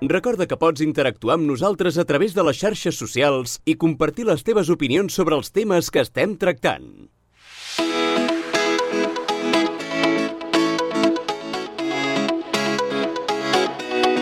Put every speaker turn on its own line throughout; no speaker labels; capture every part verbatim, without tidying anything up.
Recorda que pots interactuar amb nosaltres a través de les xarxes socials i compartir les teves opinions sobre els temes que estem tractant.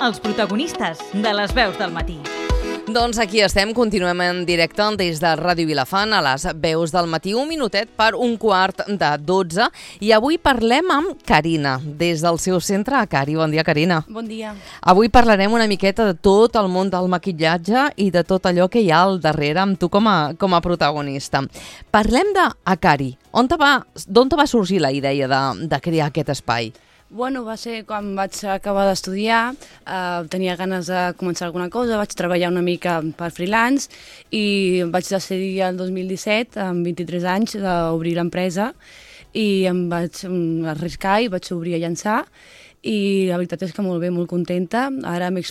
Els protagonistes de les veus del matí.
Doncs aquí estem, continuem en directe des de Ràdio Vilafant a les veus del matí, un minutet per un quart de dotze, i avui parlem amb Carina, des del seu centre a Cari. Bon dia, Carina.
Bon dia.
Avui parlarem una miqueta de tot el món del maquillatge i de tot allò que hi ha al darrere amb tu com a, com a protagonista. Parlem de Cari. On te va, d'on te va sorgir la idea de, de crear aquest espai?
Bueno, va ser quan vaig acabar d'estudiar, eh, tenia ganes de començar alguna cosa, vaig treballar una mica per freelance i vaig decidir el dos mil disset, amb vint-i-tres anys, d'obrir l'empresa i em vaig arriscar i vaig obrir a llançar i la veritat és que molt bé, molt contenta. Ara m'he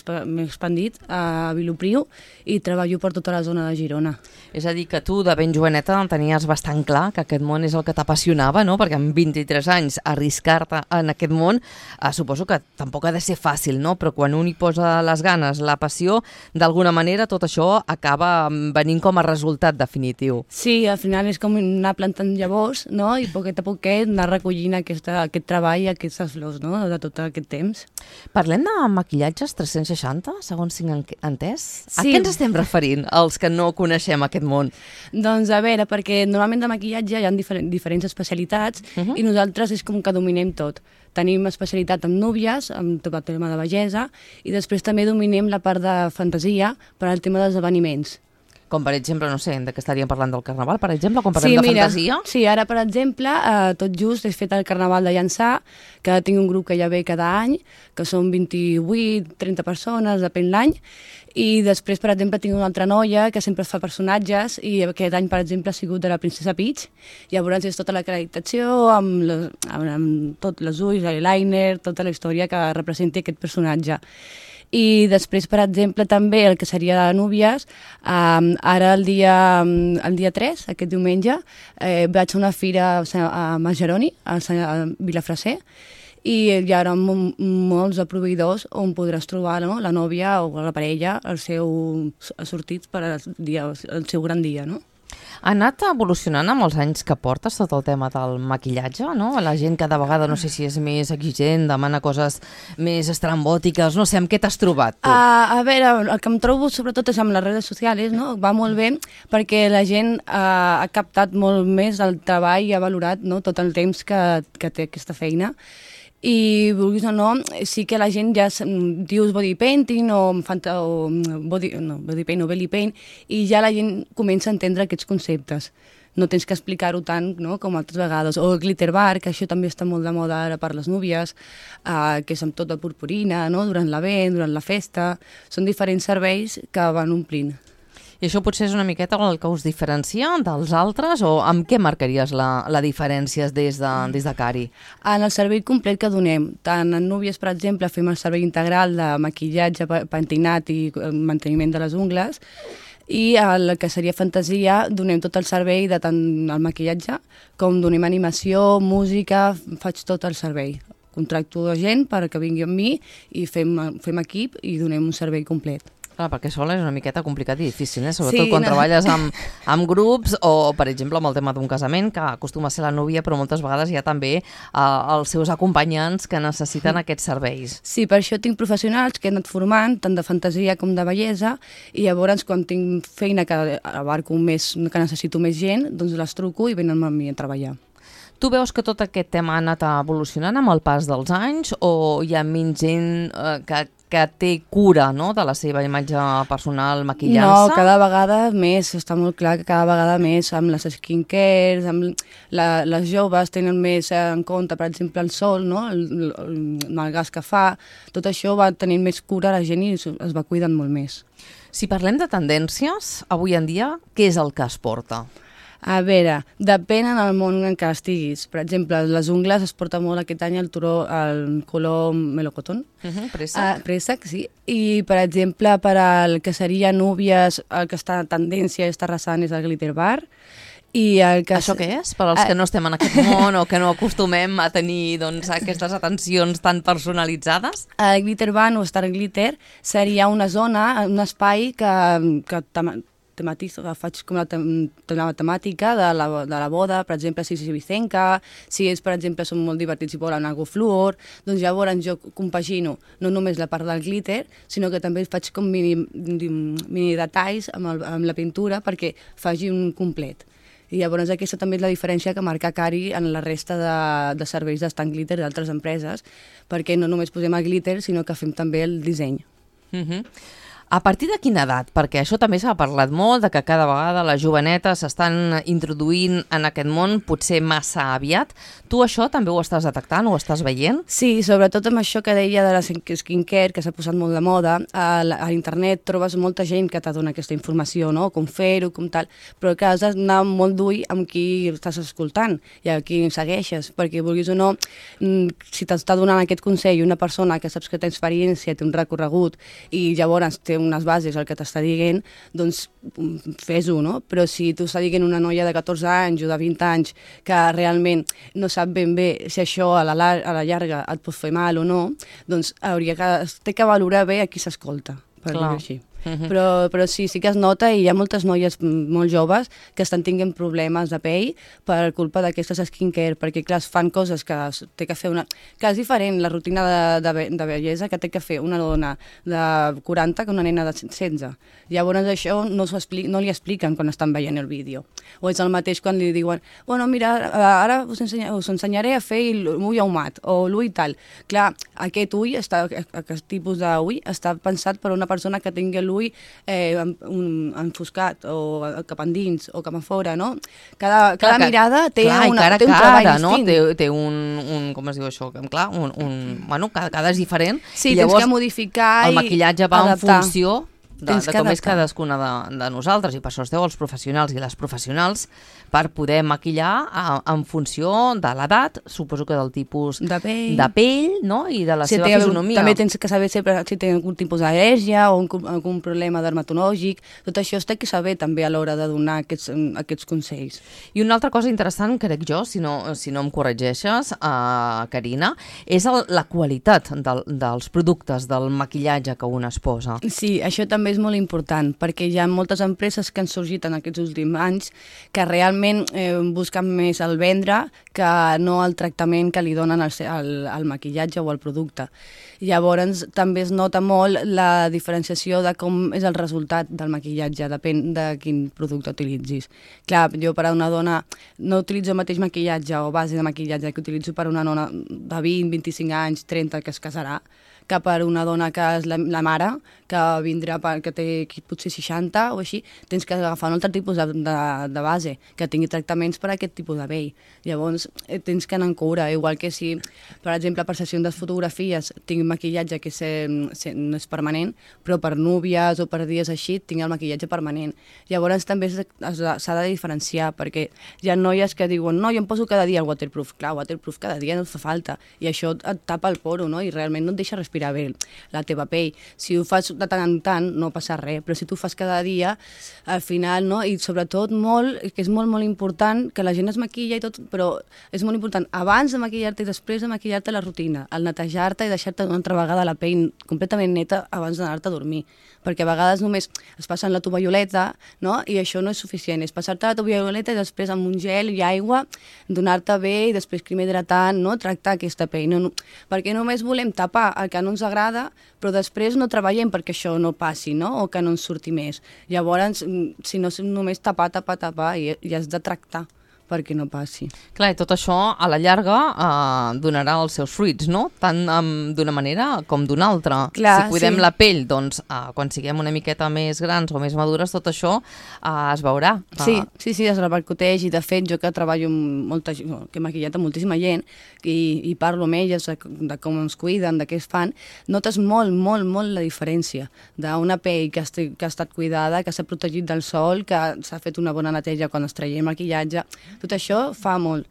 expandit a Vilopriu i treballo per tota la zona de Girona.
És a dir, que tu de ben joveneta tenies bastant clar que aquest món és el que t'apassionava, no? Perquè amb vint-i-tres anys arriscar-te en aquest món, eh, suposo que tampoc ha de ser fàcil, no? Però quan un hi posa les ganes, la passió, d'alguna manera tot això acaba venint com a resultat definitiu.
Sí, al final és com anar plantant llavors, no? I poquet a poquet anar recollint aquesta, aquest treball i aquestes flors, no? De tot aquest temps.
Parlem de maquillatges tres-cents seixanta, segons tinc entès?
Sí.
A què ens estem referint, els que no coneixem aquest món?
Doncs a veure, perquè normalment de maquillatge hi ha diferents, diferents especialitats uh-huh. i nosaltres és com que dominem tot. Tenim especialitat en núvies, amb tot el tema de bellesa, i després també dominem la part de fantasia per al tema dels esdeveniments.
Com per exemple, no sé, de què estaríem parlant del carnaval, per exemple, quan parlem
sí,
de
mira,
fantasia?
Sí, ara, per exemple, eh, tot just he fet el carnaval de Llançà, que tinc un grup que ja ve cada any, que són vint-i-vuit trenta persones, depèn l'any, i després, per exemple, tinc una altra noia que sempre fa personatges, i aquest any, per exemple, ha sigut de la princesa Peach. Llavors és tota la acreditació, amb, les, amb, amb tot els ulls, l'eyeliner, tota la història que representi aquest personatge. I després, per exemple, també el que seria de núvies, um, ara el dia, el dia tres, aquest diumenge, eh, vaig a una fira a Mageroni, a Vilafreser, i hi haurà molts de proveïdors on podràs trobar, no?, la nòvia o la parella, el seu sortit per al dia, el seu gran dia, no?
Ha anat evolucionant amb els anys que portes tot el tema del maquillatge, no? La gent cada vegada, no sé si és més exigent, demana coses més estrambòtiques, no sé, amb què t'has trobat tu?
Uh, a veure, el que em trobo sobretot és amb les redes socials, no? Va molt bé perquè la gent uh, ha captat molt més el treball i ha valorat, no?, tot el temps que, que té aquesta feina. I vulguis o no, sí que la gent ja dius body painting o, o body, no, body paint o belly paint i ja la gent comença a entendre aquests conceptes. No tens que explicar-ho tant, no?, com altres vegades. O el glitter bar, que això també està molt de moda ara per les núvies, eh, que és amb tot de purpurina, no?, durant l'event, durant la festa. Són diferents serveis que van omplint.
I això potser és una miqueta el que us diferencia dels altres, o amb què marcaries la, la diferència des de, des de Cari?
En el servei complet que donem, tant en núvies, per exemple, fem el servei integral de maquillatge, pentinat i manteniment de les ungles, i el que seria fantasia donem tot el servei de tant el maquillatge com donem animació, música, faig tot el servei. Contracto gent perquè vingui amb mi i fem, fem equip i donem un servei complet.
Clar, perquè sol és una miqueta complicat i difícil, eh? Sobretot
sí,
quan
no.
treballes amb, amb grups o, per exemple, amb el tema d'un casament, que acostuma a ser la núvia, però moltes vegades hi ha també eh, els seus acompanyants que necessiten aquests serveis.
Sí, per això tinc professionals que he anat formant, tant de fantasia com de bellesa, i llavors quan tinc feina que abarco més, que necessito més gent, doncs les truco i venen amb mi a treballar.
Tu veus que tot aquest tema ha anat evolucionant amb el pas dels anys o hi ha menys gent eh, que, que té cura, no?, de la seva imatge personal, maquillant-se?
No, cada vegada més, està molt clar que cada vegada més amb les skincares, amb la, les joves tenen més en compte, per exemple, el sol, no?, el, el, el gas que fa, tot això va tenint més cura la gent i es va cuidant molt més.
Si parlem de tendències, avui en dia, què és el que es porta?
A veure, depèn en el món en què estiguis. Per exemple, les ungles es porta molt aquest any el turó, el color melocotón.
Uh-huh, préssec.
Uh, préssec, sí. I, per exemple, per al que seria núvies, el que està en tendència i està arrasant és el glitter bar. I el que...
Això què és? Per als que no estem en aquest món o que no acostumem a tenir doncs, aquestes atencions tan personalitzades?
El Glitter Band o Star Glitter seria una zona, un espai que, que tematizo, que faig com la, tem la temàtica de la, de la boda, per exemple, si és ibicenca, si és, per exemple, són molt divertits i volen algo fluor, doncs llavors jo compagino no només la part del glitter, sinó que també faig com mini, mini detalls amb, el, amb la pintura perquè faci un complet. I llavors aquesta també és la diferència que marca Cari en la resta de, de serveis d'Stan Glitter d'altres empreses, perquè no només posem el glitter, sinó que fem també el disseny.
Mhm. A partir de quina edat? Perquè això també s'ha parlat molt, de que cada vegada les jovenetes s'estan introduint en aquest món, potser massa aviat. Tu això també ho estàs detectant, ho estàs veient?
Sí, sobretot amb això que deia de la skincare, que s'ha posat molt de moda. A, a internet trobes molta gent que t'adona aquesta informació, no? Com fer-ho, com tal, però que has d'anar molt d'ull amb qui estàs escoltant i a qui segueixes, perquè vulguis o no, si t'està donant aquest consell una persona que saps que té experiència, té un recorregut i llavors té unes bases el que t'està dient, doncs fes-ho, no? Però si tu està dient una noia de catorze anys o de vint anys que realment no sap ben bé si això a la, a la llarga et pot fer mal o no, doncs hauria que, té que valorar bé a qui s'escolta, per dir-ho així. Uh-huh. però, però sí, sí que es nota i hi ha moltes noies molt joves que estan tinguent problemes de pell per culpa d'aquestes skincare, perquè clar, es fan coses que té que fer una... que és diferent la rutina de, de, de bellesa que té que fer una dona de quaranta que una nena de setze. Llavors això no, no li expliquen quan estan veient el vídeo. O és el mateix quan li diuen bueno, mira, ara us, ensenya, us ensenyaré a fer l'ull ahumat o l'ull tal. Clar, aquest ull, està, aquest tipus d'ull està pensat per una persona que tingui l'ull eh, un, enfoscat o cap endins o cap a fora, no? Cada, cada clar, mirada té,
clar,
una,
cara,
té un treball
cara, no?
distint.
Té, té un, un, com es diu això? Clar, un, un, bueno, cada, cada és diferent.
Sí,
i llavors,
tens que modificar
el maquillatge va
adaptar.
En funció de, de com és cadascuna de, de nosaltres, i per això esteu els professionals i les professionals per poder maquillar a, en funció de l'edat, suposo que del tipus
de pell,
de pell no? I de la
si
seva
té,
fisonomia.
També tens que saber sempre si té algun tipus d'al·lèrgia o un, algun problema dermatològic. Tot això es té que saber també a l'hora de donar aquests, aquests consells.
I una altra cosa interessant, crec jo, si no, si no em corregeixes, uh, Carina, és el, la qualitat del, dels productes, del maquillatge que un es posa.
Sí, això també és molt important, perquè hi ha moltes empreses que han sorgit en aquests últims anys que realment eh, busquen més el vendre que no el tractament que li donen al, al, al maquillatge o al producte. Llavors també es nota molt la diferenciació de com és el resultat del maquillatge, depèn de quin producte utilitzis. Clar, jo per a una dona no utilitzo el mateix maquillatge o base de maquillatge que utilitzo per a una dona de vint, vint-i-cinc anys, trenta que es casarà, que per una dona que és la, la mare, que vindrà, per, que té potser seixanta o així, tens que agafar un altre tipus de, de, de base, que tingui tractaments per a aquest tipus de pell. Llavors, eh, tens que anar en cura, igual que si, per exemple, per sessions de fotografies tinc maquillatge que se, se, no és permanent, però per núvies o per dies així tinc el maquillatge permanent. Llavors també s'ha de diferenciar, perquè hi ha noies que diuen no, jo em poso cada dia el waterproof. Clar, waterproof cada dia no et fa falta, i això et tapa el poro, no? I realment no et deixa respirar bé la teva pell. Si ho fas de tant en tant no passa res, però si tu fas cada dia, al final, no? I sobretot molt, que és molt, molt important, que la gent es maquilla i tot, però és molt important abans de maquillar-te i després de maquillar-te la rutina, el netejar-te i deixar-te una altra vegada la pell completament neta abans d'anar-te a dormir, perquè a vegades només es passen la tovallolet, no? I això no és suficient, és passar-te la tovallolet i després amb un gel i aigua donar-te bé i després crema hidratant, no? Tractar aquesta pell, no, no, perquè només volem tapar el que no ens agrada, però després no treballem perquè això no passi, no? O que no ens surti més. Llavors, si no és només tapar, tapar, tapar, i, i has de tractar perquè no passi.
Clar, i tot això a la llarga eh, donarà els seus fruits, no? Tant um, d'una manera com d'una altra.
Clar,
si cuidem
sí.
la pell, doncs eh, quan siguem una miqueta més grans o més madures, tot això eh, es veurà.
Sí, sí, sí, es repercuteix, i de fet jo que treballo amb molta gent, que he maquillat amb moltíssima gent i, i parlo amb elles de, de com ens cuiden, de què es fan, notes molt, molt, molt la diferència d'una pell que, esti, que ha estat cuidada, que s'ha protegit del sol, que s'ha fet una bona neteja quan es traiem maquillatge. Tot això fa molt.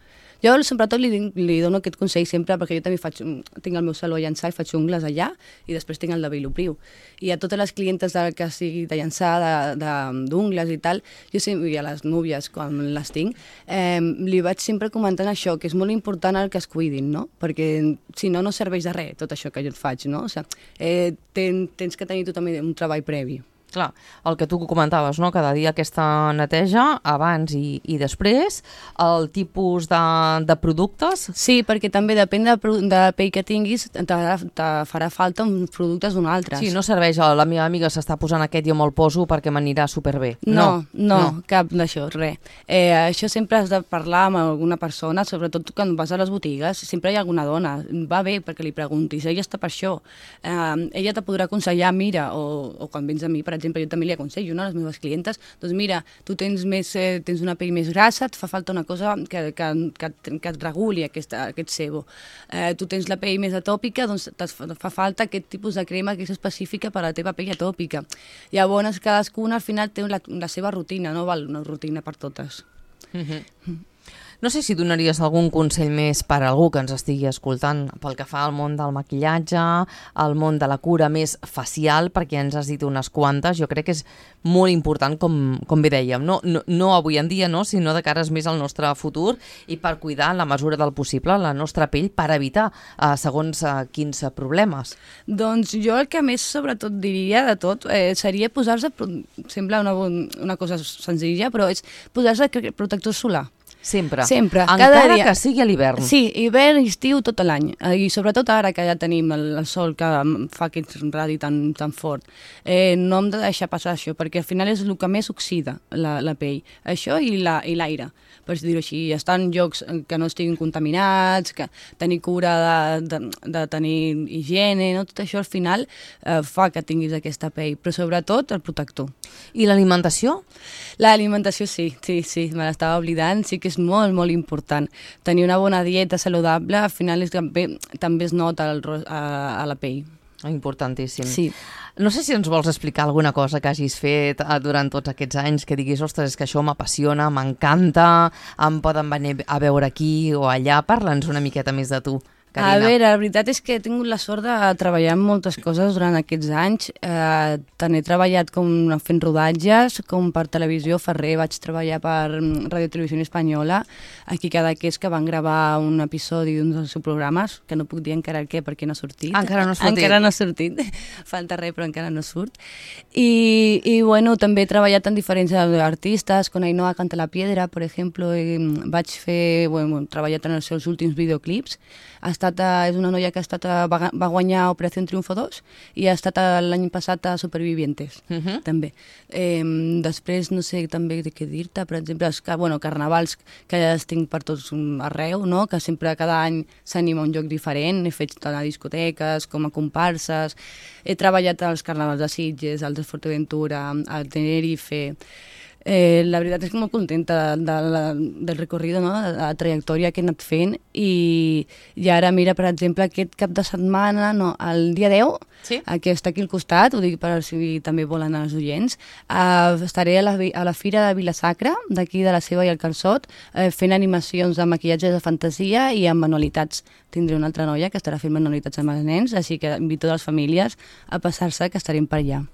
Jo sobretot li, li dono aquest consell sempre, perquè jo també faig, tinc el meu saló a Llançà i faig ungles allà, i després tinc el de Vilopriu. I a totes les clientes de, que sigui de Llançà, d'ungles i tal, jo sempre, i a les núvies, quan les tinc, eh, li vaig sempre comentant això, que és molt important el que es cuidin, no? Perquè si no, no serveix de res tot això que jo et faig, no? O sigui, eh, ten, tens que tenir tu també un treball previ.
Clar, el que tu comentaves, no? Cada dia aquesta neteja, abans i, i després, el tipus de, de productes...
Sí, perquè també depèn de, de pell que tinguis, te, te farà falta uns productes d'un altre.
Sí, no serveix, la meva amiga s'està posant aquest i jo me'l poso perquè m'anirà superbé.
No, no, no, no. Cap d'això, res. Eh, això sempre has de parlar amb alguna persona, sobretot quan vas a les botigues, sempre hi ha alguna dona, va bé perquè li preguntis, ella està per això, eh, ella te podrà aconsellar, mira, o, o quan vens a mi, per exemple, jo també li aconsello, no?, a les meves clientes, doncs mira, tu tens, més, eh, tens una pell més grassa, et fa falta una cosa que, que, que, que et reguli aquesta, aquest sebo. Eh, tu tens la pell més atòpica, doncs et fa falta aquest tipus de crema que és específica per a la teva pell atòpica. Llavors, cadascuna al final té la, la seva rutina, no val una rutina per totes.
Mm-hmm. Mm. No sé si donaries algun consell més per a algú que ens estigui escoltant pel que fa al món del maquillatge, al món de la cura més facial, perquè ens has dit unes quantes. Jo crec que és molt important, com, com bé dèiem, no, no, no avui en dia, no, sinó de cares més al nostre futur i per cuidar en la mesura del possible la nostra pell per evitar eh, segons eh, quins problemes.
Doncs jo el que més sobretot diria de tot eh, seria posar-se, sembla una, una cosa senzilla, però és posar-se protector solar.
Sempre.
Sempre.
Encara dia... que sigui a l'hivern.
Sí, hivern i estiu tot l'any. I sobretot ara que ja tenim el, el sol que fa aquest radi tan, tan fort. Eh, no hem de deixar passar això, perquè al final és el que més oxida la, la pell. Això i l'aire. La, per dir-ho així, estar en llocs que no estiguin contaminats, que tenir cura de, de, de tenir higiene, no? Tot això al final eh, fa que tinguis aquesta pell, però sobretot el protector.
I l'alimentació?
L'alimentació sí, sí, sí, me l'estava oblidant, sí que és molt, molt important. Tenir una bona dieta saludable, al final és, també, també es nota el, a, a la pell.
Importantíssim.
Sí.
No sé si ens vols explicar alguna cosa que hagis fet durant tots aquests anys, que diguis, ostres, és que això m'apassiona, m'encanta, em poden venir a veure aquí o allà. Parla'ns una miqueta més de tu, Carina.
A veure, la veritat és que he tingut la sort de treballar en moltes coses durant aquests anys. Eh, tant he treballat com fent rodatges, com per televisió. Ferrer vaig treballar per Radio Televisió Espanyola, aquí Cadaqués, que van gravar un episodi d'un dels seus programes, que no puc dir encara el què perquè no ha sortit.
Encara no ha sortit.
Encara no ha sortit. Falta res, però encara no surt. I, i bueno, també he treballat en diferents artistes, con Ainhoa Canta la Piedra, per exemple. Vaig fer, bueno, he treballat en els seus últims videoclips. Ha estat, és una noia que ha estat, va, va guanyar Operació Triunfo dos i ha estat l'any passat a Supervivientes, uh-huh. també. Eh, després, no sé també què dir-te, per exemple, els, bueno, carnavals que ja els tinc per tots arreu, no? Que sempre cada any s'anima un lloc diferent, he fet tant a discoteques com a comparses, he treballat als carnavals de Sitges, als de Forteventura, al Tenerife. Eh, la veritat és que molt contenta de, de, del recorrido, no? De la trajectòria que he anat fent i, i ara mira, per exemple, aquest cap de setmana, no, el dia deu, sí? Que està aquí al costat, ho dic per si també volen els oients, eh, estaré a la, a la Fira de Vilasacra, d'aquí de la Seva i el Calçot, eh, fent animacions de maquillatge de fantasia i amb manualitats. Tindré una altra noia que estarà fent manualitats amb els nens, així que invito a les famílies a passar-se, que estarem per allà.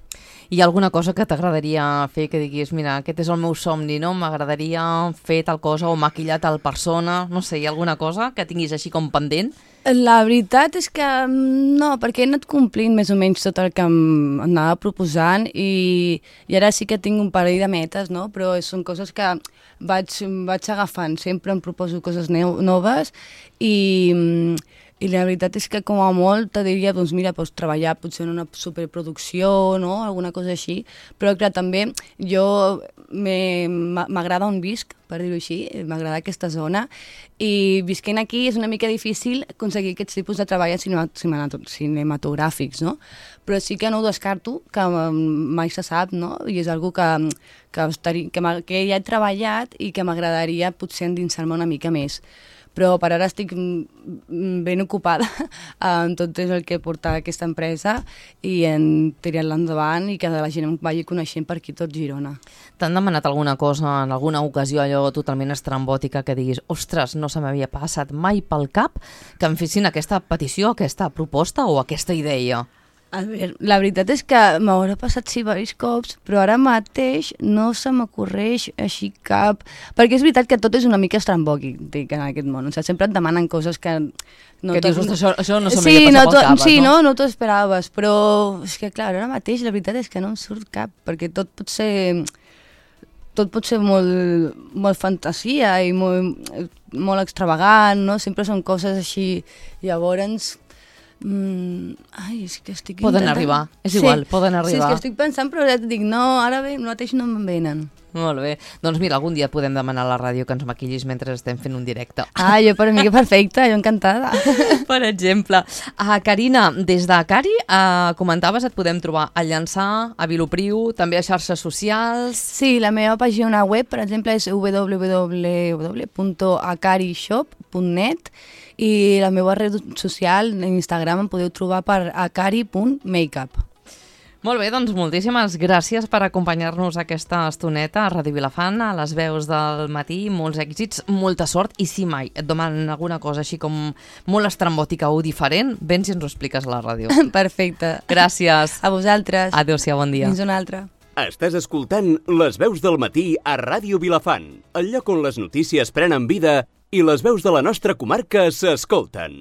Hi ha alguna cosa que t'agradaria fer, que diguis, mira, aquest és el meu somni, no? M'agradaria fer tal cosa o maquillar tal persona, no sé, hi ha alguna cosa que tinguis així com pendent?
La veritat és que no, perquè he anat complint més o menys tot el que em anava proposant i, i ara sí que tinc un parell de metes, no? Però són coses que vaig, vaig agafant, sempre em proposo coses noves i... I la veritat és que com a molt te diria, doncs mira, pots treballar potser en una superproducció, no? Alguna cosa així, però clar, també jo m'agrada on visc, per dir-ho així, m'agrada aquesta zona i visquent aquí és una mica difícil aconseguir aquests tipus de treball cinematogràfics, no? Però sí que no ho descarto, que mai se sap, no? I és algo que, que, estaria, que, que ja he treballat i que m'agradaria potser endinsar-me una mica més. però per ara estic ben ocupada amb tot el que porta aquesta empresa i en tirar-la endavant i que la gent em vagi coneixent per aquí tot Girona.
T'han demanat alguna cosa en alguna ocasió allò totalment estrambòtica que diguis ostres, no se m'havia passat mai pel cap que em fessin aquesta petició, aquesta proposta o aquesta idea?
A veure, la veritat és que m'haurà passat sí diversos cops, però ara mateix no se m'ocorreix així cap... Perquè és veritat que tot és una mica estrambòquic, dic, en aquest món. O sigui, sempre et demanen coses que... No
que dius, això, això no se
sí,
m'havia
no
passat pel cap,
sí,
no?
no, no t'ho esperaves, però és que clar, ara mateix la veritat és que no em surt cap, perquè tot pot ser... tot pot ser molt, molt fantasia i molt, molt extravagant, no? Sempre són coses així, llavors... Mm, ai, és que estic
Poden
intentant...
arribar, és igual,
sí,
poden arribar.
Sí, és que estic pensant, però ja et dic, no, ara bé, mateix no me'n venen.
Molt bé. Doncs mira, algun dia podem demanar a la ràdio que ens maquillis mentre estem fent un directe.
Ah, jo per mi que perfecte, jo encantada.
Per exemple. Uh, Carina, des de Cari, uh, comentaves, et podem trobar a Llançà, a Vilopriu, també a xarxes socials...
Sí, la meva pàgina web, per exemple, és w w w punt acarishop punt net i la meva red social, Instagram, em podeu trobar per acari punt makeup.
Molt bé, doncs moltíssimes gràcies per acompanyar-nos aquesta estoneta a Ràdio Vilafant, a les veus del matí, molts èxits, molta sort, i si mai et demanen alguna cosa així com molt estrambòtica o diferent, vens i ens ho expliques a la ràdio.
Perfecte.
Gràcies.
A vosaltres.
Adéu-siau, bon dia.
Fins una altra.
Estàs escoltant Les veus del matí a Ràdio Vilafant, el lloc on les notícies prenen vida i les veus de la nostra comarca s'escolten.